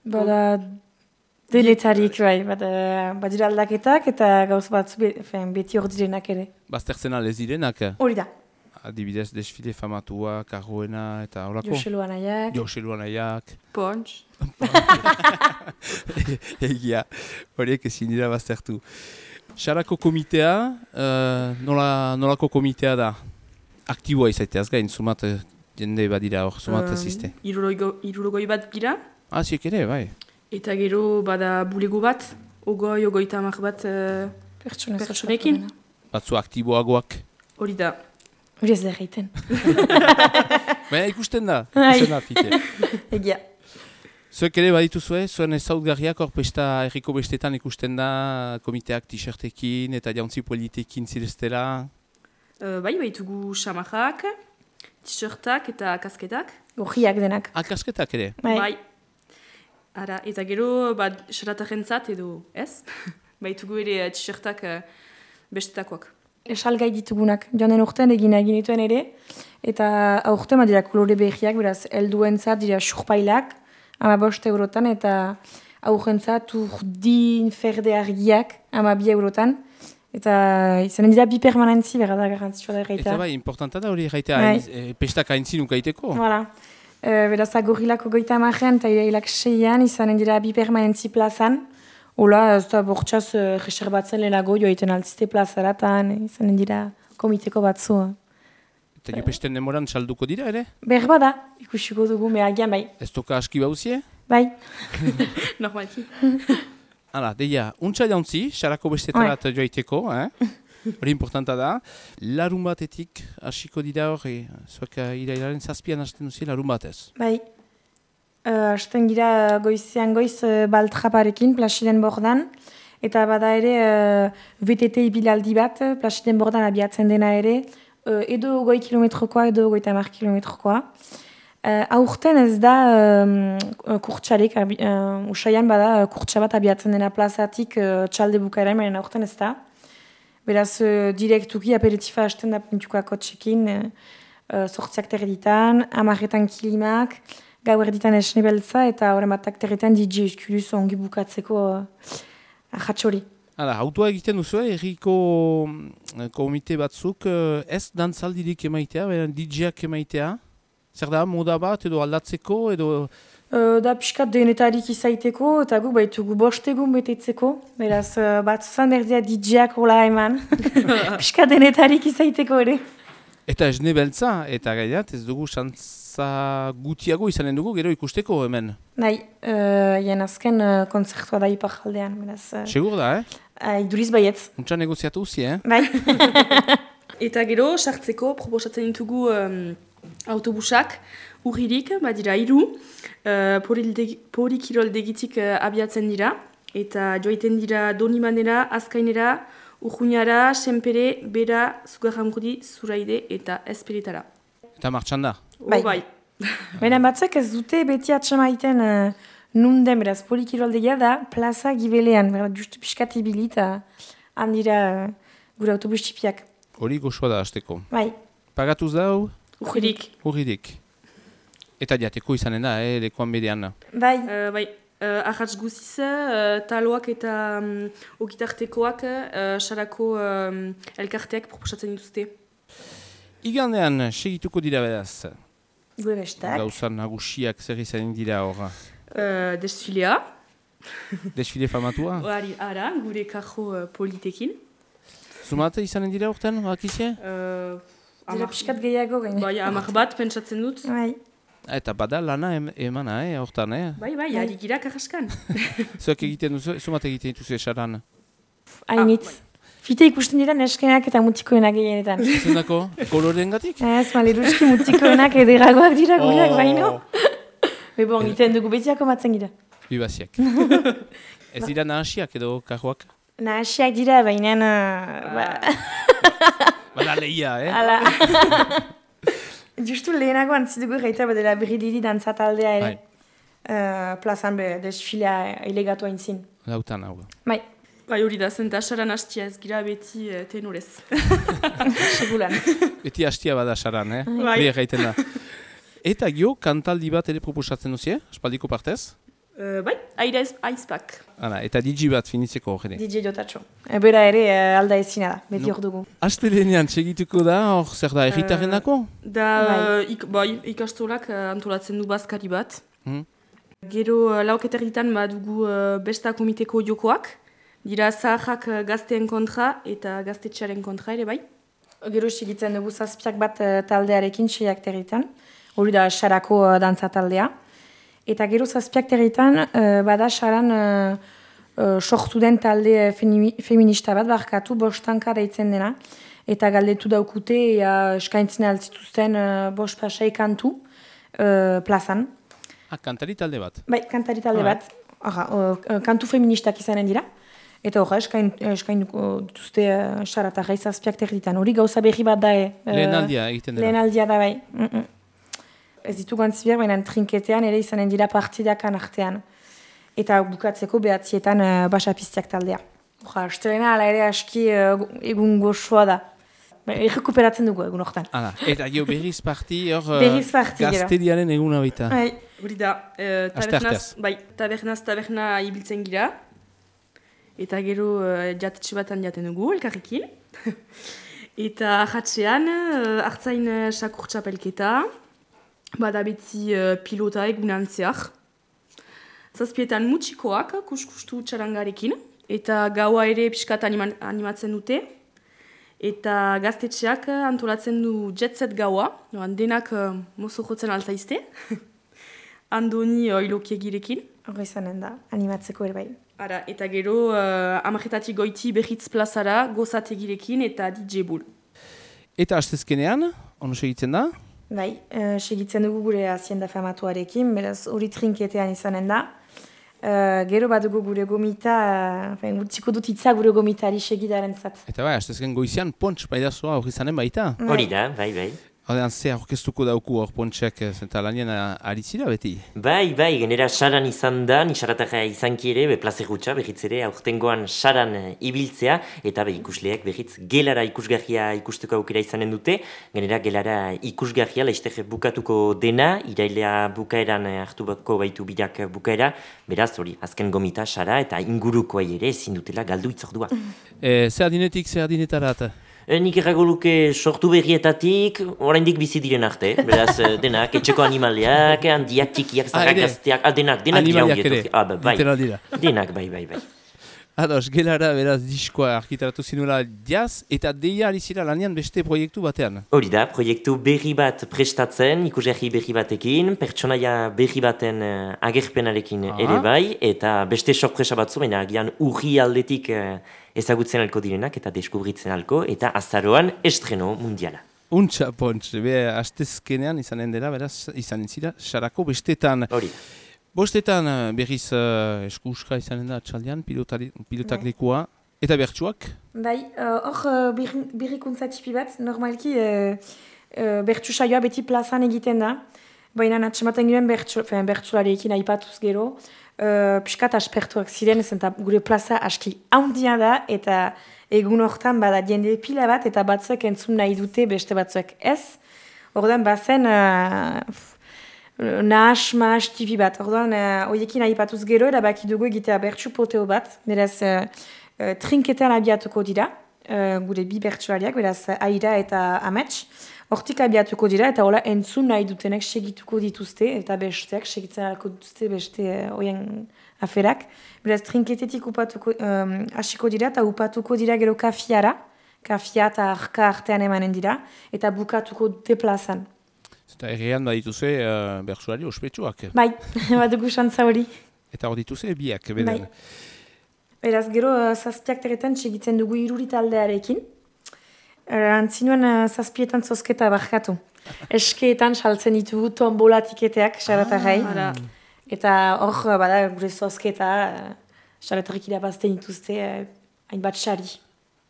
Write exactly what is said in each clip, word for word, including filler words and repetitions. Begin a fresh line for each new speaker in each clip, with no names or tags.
Bada denetarik, bai, bada, badira aldaketak eta gauz batzu be, beti hor direnak ere.
Baztertzen alez direnak?
Hori da.
Adibidez, desfile famatua, karroena eta horako?
Joselu Anaiak.
Joselu Anaiak.
Pontx.
Egia, horiek ezin dira baztertu. Sarako komitea, uh, nola, nolako komitea da? Aktiboa izaiteaz gain, sumat jende badira hor, sumat um, aziste.
Irurogoi bat gira.
Ah, ziek ere, bai.
Eta gero bada bulego bat, ogoi, ogoita amak bat uh, pertsonekin.
Batzu aktiboagoak.
Hori da.
Hori ez da egiten.
Baina ikusten da, ikusten da, fite.
Egia.
Zuek ere badituzue, zuen ezautgarriak hor pesta erriko bestetan ikusten da, komiteak t-shirtekin eta jauntzi politekin zireztela.
Uh, bai, baitugu xamarrak, t-shirtak eta kasketak.
Gorriak denak.
Ah, kasketak ere?
Bai.
Bai. Ara, eta gero, bat, xaratajentzat edo ez. Baitugu ere t-shirtak uh, bestetakoak.
Esalgai ditugunak, joanen urtean egin egin dituen ere, eta aurten badira kolore behiak, beraz, helduentzat dira surpailak, ama bost eurotan, eta aurrentzat urdin ferde argiak, ama bi eurotan, eta izanen dira bi permanentzi, berra da garantzitsua da erraita.
Eta bai, importanta da hori erraita, e, pestak haintzin ukaiteko.
Voilà. E, beraz, agorrilako goita amarrean, eta irailak seian, izanen dira bi permanentzi plazan. Ola, ez da bortxaz uh, reserbatzen lehenago joaiten altzite plazaratan, izanen dira komiteko batzu.
Eta jo pesten demoran salduko dira ere?
Berba da, ikusiko dugu, mehagian bai.
Ez toka aski bauzie?
Bai.
Normalki.
Hala, deia, untsa jauntzi, sarako bestetarat joaiteko, eh? Hori importanta da. Larun batetik hasiko dira hori, zuek irailaren zazpian hasten duzi larun batez.
Bai. Uh, Asten gira goizean goiz uh, baltraparekin, Plasiden bordan, eta bada ere uh, V T T ibilaldi bat, Plasiden bordan abiatzen dena ere, uh, edo goi kilometrokoa, edo goita mar kilometrokoa. Uh, aurten ez da um, kurtsarik, uh, usaian bada uh, kurtsabat abiatzen dena plazatik uh, txalde bukaera, menen aurten ez da. Beraz, uh, direktuki aperitifa hasten da puntukoako txekin, uh, sortziak terditan, amarretan kilimak, gau erditan esne beltza eta horren batak terretan D J Eskuluz ongi bukatzeko uh, ahatxori.
Hala, autua egiten duzu, erriko komite batzuk ez dantzaldirik emaitea, D J-ak emaitea. Zer da, moda bat edo aldatzeko edo...
Uh, da piskat denetarik izaiteko eta gu baitugu bostegun betetzeko. Beraz, uh, bat zuzan berdia D J-ak hola eman. Piskat denetarik izaiteko ere.
Eta esne beltza, eta gaiat, ez dugu xantza gutiago izanen dugu, gero ikusteko hemen.
Nahi, uh, jen azken uh, konzertua da ipar jaldean. Uh,
Segur da, eh?
Uh, iduriz baietz.
Untsa negoziatu uzi, eh?
Bai.
Eta gero, sartzeko, proposatzen ditugu um, autobusak, urririk, badira hiru, uh, porikirol degitik uh, abiatzen dira, eta joaiten dira Donimanera, Azkainera, Urruñara, Senpere, Bera, Zugarramurdi, Zuraide eta Esperetara.
Eta martxan da?
Bai.
Oh, bai.
Baina batzuk ez dute beti atxamaiten uh, nunden, beraz, polikiroldegia da plaza gibelean, beraz, justu piskat ibili eta handira uh, gure autobus txipiak.
Hori goxoa da hasteko.
Bai.
Pagatuz da hau?
Urririk.
Urririk. Eta diateko izanen da, eh, lekuan bedean.
Bai.
Uh, bai. Uh, Arratz guziz, uh, taloak eta um, ogitartekoak uh, sarako um, elkarteak proposatzen dituzte.
Igandean, segituko dira beraz.
Gure bestak.
Gauzan nagusiak zer izanen dira horra.
Uh, desfilea.
Desfile famatua?
Hori, ara, gure kajo uh, politekin.
Zumate izanen dira urtean, bakizie?
Uh,
Dira piskat gehiago gaine.
Bai, amak bat pentsatzen dut.
Bai.
Eta bada lana em, emana, eh, hortan, eh?
Bai, bai, ari gira karraskan.
Zuek egiten duzu, zumate egiten dituzu esaran?
Hainitz. Ah, Fite ikusten dira neskenak eta mutikoenak gehienetan.
Zendako? Koloren gatik?
Ez, maleruski mutikoenak ederagoak dira gureak,
Oh.
baino. Bebo, egiten dugu betiako matzen gira.
Bibaziak. Ez dira nahasiak edo kajoak?
Nahasiak dira, baina... Uh, ba...
Bada lehia, eh?
Hala. Justu lehenago antzidugu gaita badela bridiri dantza taldea ere. Uh, plazan be, desfilea ilegatu hain zin.
Lautan hau.
Bai.
Bai, hori da, zenta asaran hastia ez gira beti uh, tenorez.
Segulan.
Beti hastia bada saran, eh?
Bai.
Hori egiten da. Eta gio, kantaldi bat ere proposatzen duzie, aspaldiko partez?
Uh, bai, aira aizpak.
Hala, eta D J bat finitzeko hori.
D J Jotatxo. E, bera ere uh, alda ezina da, beti
No.
hor dugu.
Astelenean segituko da, hor zer da, erritaren dako?
Da,
Bai.
uh, ik, bai, ikastolak uh, antolatzen du bazkari bat.
Hmm.
Gero uh, lauketerritan badugu uh, besta komiteko jokoak. Dira zaharrak uh, gazteen kontra eta gaztetxearen kontra ere bai.
Gero segitzen dugu zazpiak bat uh, taldearekin seiak territan. Hori da Sarako uh, dantza taldea. Eta gero zazpiak territan uh, bada Saran uh, uh, sortu den talde uh, femi- feminista bat, barkatu bostanka deitzen dena. Eta galdetu daukute, ea eskaintzen altzituzten uh, bost pasai kantu uh, plazan.
Ah, kantari talde bat.
Bai, kantari talde
Ah,
bat, Aha, uh, kantu feministak izanen dira. Eta horra, eskain, eskainduko dituzte uh, Saratarra zazpiak territan. Hori gauza berri bat da, e. Uh,
Lehenaldia egiten dela.
Lehenaldia da bai. Mm -mm. Ez ditugu antzibiak, baina trinketean ere izanen dira partidakan artean. Eta bukatzeko behatzietan uh, basapiztiak taldea. Oja, astelena ala ere aski uh, egun goxoa da. Ba, errekuperatzen dugu egun hortan.
Hala, eta gio berriz parti, hor
Berriz parti, gero.
gazteriaren eguna baita.
Bai,
Hori da, uh,
Aste
tabernaz,
arteaz.
bai, tabernaz taberna ibiltzen gira. Eta gero uh, jatetxe batan jaten dugu, elkarrekin. Eta ahatzean, uh, hartzain uh, sakurtxapelketa, bada beti uh, pilota egunantzeak. Zazpietan mutxikoak, kuskustu txarangarekin. Eta gaua ere pixkat anima- animatzen dute. Eta gaztetxeak uh, antolatzen du jetset gaua. Noan, denak uh, mozo jotzen alzaizte. Andoni uh, ilokiegirekin.
hori izanen da, animatzeko ere bai.
Ara, eta gero uh, amarretatik goiti behitz plazara, gozategirekin eta D J Bull.
Eta astezkenean, ono segitzen da?
Bai, uh, segitzen dugu gure hazienda famatuarekin, beraz hori trinketean izanen da. Uh, gero badugu gure gomita, uh, utziko dut hitza gure gomitari segidaren zat.
Eta bai, astezken goizian pontx baidazoa hori zanen baita.
Hori da, bai, bai.
Hordean, ze aurkeztuko dauku hor pontxek, eta lanien ari zira beti?
Bai, bai, genera saran izan da, ni saratarra izanki ere, be plaze gutxa, behitz ere, aurtengoan saran eh, ibiltzea, eta be ikusleak behitz gelara ikusgarria ikusteko aukera izanen dute, genera gelara ikusgarria, laizter bukatuko dena, irailea bukaeran eh, hartuko baitu bidak bukaera, beraz, hori, azken gomita sara, eta ingurukoa ere ezin dutela galdu itzordua.
E, zer adinetik, zer adinetarat?
E, nik errago luke sortu berrietatik, oraindik bizi diren arte, beraz, eh, denak, etxeko animaliak, handiak, txikiak,
Ah,
zarrak,
ere?
gazteak, ah, denak, denak dira
Animaliak
ongi
ere,
etorri. Ah, ba, bai.
literal dira.
Denak, bai, bai, bai.
Ados, gelara beraz diskoa arkitaratu zinuela jaz, eta deia ari zira lanean beste proiektu batean.
Hori da, proiektu berri bat prestatzen, ikusgarri berri batekin, pertsonaia berri baten uh, agerpenarekin
Ah.
ere bai, eta beste sorpresa batzu, baina agian urri aldetik uh, ezagutzen alko direnak eta deskubritzen alko, eta azaroan estreno mundiala.
Untxa, pontx, be, astezkenean izanen dela, beraz, izanen zira, Sarako bestetan.
Hori.
Bostetan eh, berriz uh, eskuska izanen da txaldean, pilotari, pilotak
Bai.
lekua, eta bertsuak.
Bai, uh, hor uh, berri- berrikuntza tipi bat, normalki uh, uh, bertsu saioa beti plazan egiten da, baina atxematen giren bertsu, bertsularekin aipatuz gero, uh, piskat aspertuak ziren, zenta gure plaza aski handia da, eta egun hortan bada jende pila bat, eta batzuek entzun nahi dute, beste batzuek ez. Ordan bazen uh, nahas, mahas tipi bat. Ordan uh, hoiekin aipatuz gero, erabaki dugu egitea bertsu poteo bat, beraz uh, uh, trinketean abiatuko dira, uh, gure bi bertsulariak, beraz Aira eta Amets. Hortik abiatuko dira, eta hola entzun nahi dutenek segituko dituzte, eta besteak segitzen alko dituzte beste uh, oien aferak. Beraz, trinketetik upatuko, um, hasiko dira, eta upatuko dira gero kafiara, kafia eta arka artean emanen dira, eta bukatuko dute plazan.
Eta errean badituzue uh, bertsuari ospetsuak.
Bai, badugu xantza hori.
Eta hor dituzue biak, beden.
Bai. Beraz, gero uh, zazpiak teretan segitzen dugu iruri taldearekin. Uh, antzinuen uh, zazpietan zozketa barkatu. Eskeetan saltzen ditugu tombola tiketeak, xaratarrai.
Ara,
Eta hor, uh, bada, gure zozketa, uh, xaratarrik irabazten dituzte, uh, hainbat xari.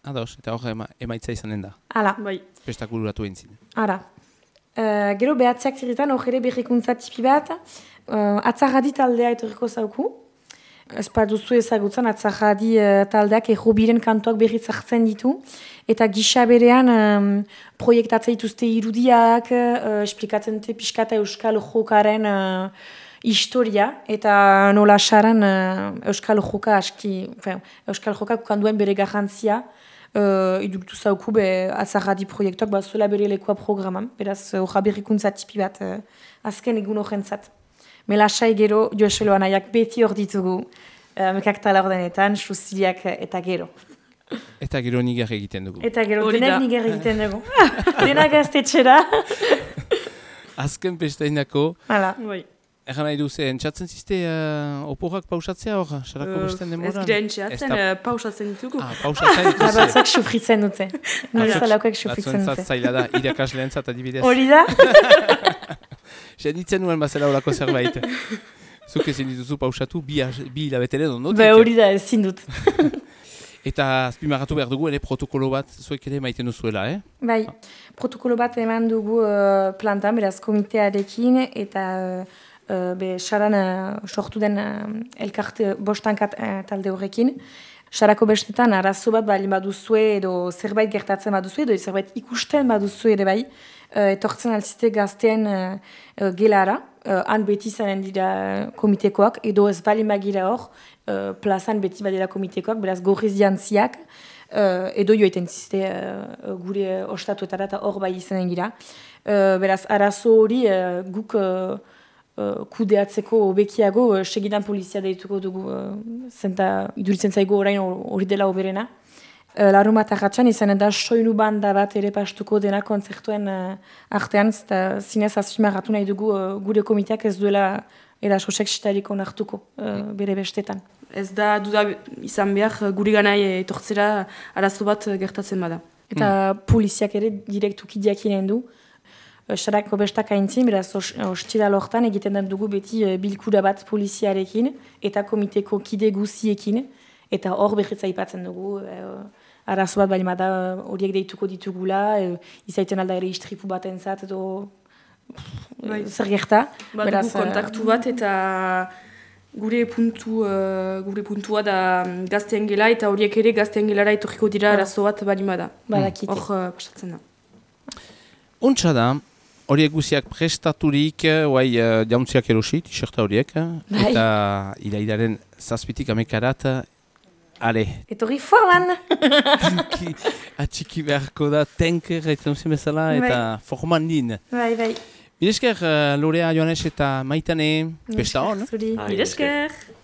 Ados, eta hor ema, emaitza izanen da.
Hala,
bai.
Pestakuluratu entzin.
ara. Uh, gero behatziak teretan hor ere berrikuntza tipi bat, uh, atzarradi taldea etorriko zauku. Ez duzu ezagutzen, atzarradi uh, taldeak errobiren kantuak berriz hartzen ditu. Eta gisa berean um, proiektatzen dituzte irudiak, uh, esplikatzen dute pixkata euskal jokaren uh, historia, eta nola saran uh, Euskal Joka aski, enfin, Euskal Joka kukanduen bere garrantzia, uh, iduritu zauku be azarradi proiektuak, ba, zuela bere lekoa programan, beraz, horra berrikuntza tipi bat uh, azken egun horrentzat. Melasai gero, Joeselo anaiak beti hor ditugu, uh, mekak tala ordenetan, susiliak eta gero.
Eta gero nigar egiten dugu.
Eta gero,
Hori
denak
da.
niger egiten dugu. Denak gaztetxera.
Azken pestainako,
Hala.
Bai.
egan nahi duze, entzatzen ziste uh, oporak pausatzea hor, sarako besten
Ez
demoran?
gira entxeatzen,
Ez da-
uh, pausatzen ditugu.
Ah, pausatzen dituze.
Batzak sufritzen dute. Nire zalakoek sufritzen
Batzuentzat
dute.
zaila da, irakasleentzat adibidez.
Hori da?
Seditzen nuen bazela horako zerbait. Zuk ezin dituzu pausatu, bi, bi hilabeteren ondotik.
Be hori da, ezin dut.
Eta azpimarratu behar dugu, ere protokolo bat zuek ere maiten duzuela, eh?
Bai, protokolo bat eman dugu uh, plantan, beraz komitearekin, eta uh, be saran uh, sortu den uh, elkarte bostankat uh, talde horrekin. Sarako bestetan, arazo bat bali baduzue, edo zerbait gertatzen baduzue, edo zerbait ikusten baduzue ere bai, uh, etortzen alzite gazteen uh, uh, gelara, uh, han beti zanen dira komitekoak, edo ez bali magira hor, uh, plazan beti badira komitekoak, beraz gorriz jantziak, uh, edo joiten ziste uh, gure ostatuetara eta hor bai izanen gira. Uh, beraz, arazo hori uh, guk uh, uh, kudeatzeko hobekiago uh, segidan polizia deituko dugu, uh, zenta iduritzen zaigu orain hori dela hoberena. Uh, Larunbat arratsan izanen da soinu banda bat ere pastuko dena kontzertuen uh, artean, eta zinez azpimarratu nahi dugu uh, gure komiteak ez duela eraso seksitarik onartuko uh, bere bestetan.
Ez da duda izan behar guri ganai etortzera arazo bat gertatzen bada.
Eta poliziak ere direktuki diakinen du. Uh, Sarako bestak aintzin, beraz os- ostiral hortan egiten den dugu beti uh, bilkura bat poliziarekin eta komiteko kide guziekin. Eta hor behitza aipatzen dugu, uh, arazo bat bali bada uh, horiek deituko ditugula, uh, izaiten alda ere istripu bat entzat edo
Bai.
zer gerta.
Badugu
Beraz, uh,
kontaktu bat eta gure puntu uh, gure puntua da mm, gazteen gela eta horiek ere gazteen gelara etorriko dira arazo bat balimada.
badakite.
Hor uh, pasatzen da.
Untsa da, horiek guziak prestaturik, guai uh, jauntziak erosi, t-shirta horiek,
Bai.
eta irailaren zazpitik amekarat, ale,
Etorri forman!
tinki atxiki beharko da, tenker, eta uzien bezala, eta forman din.
Bai, bai.
Bidesker, uh, Lorea, Joanes eta Maitane, pesta hon.
Zuri.
Ah,
Mire esker!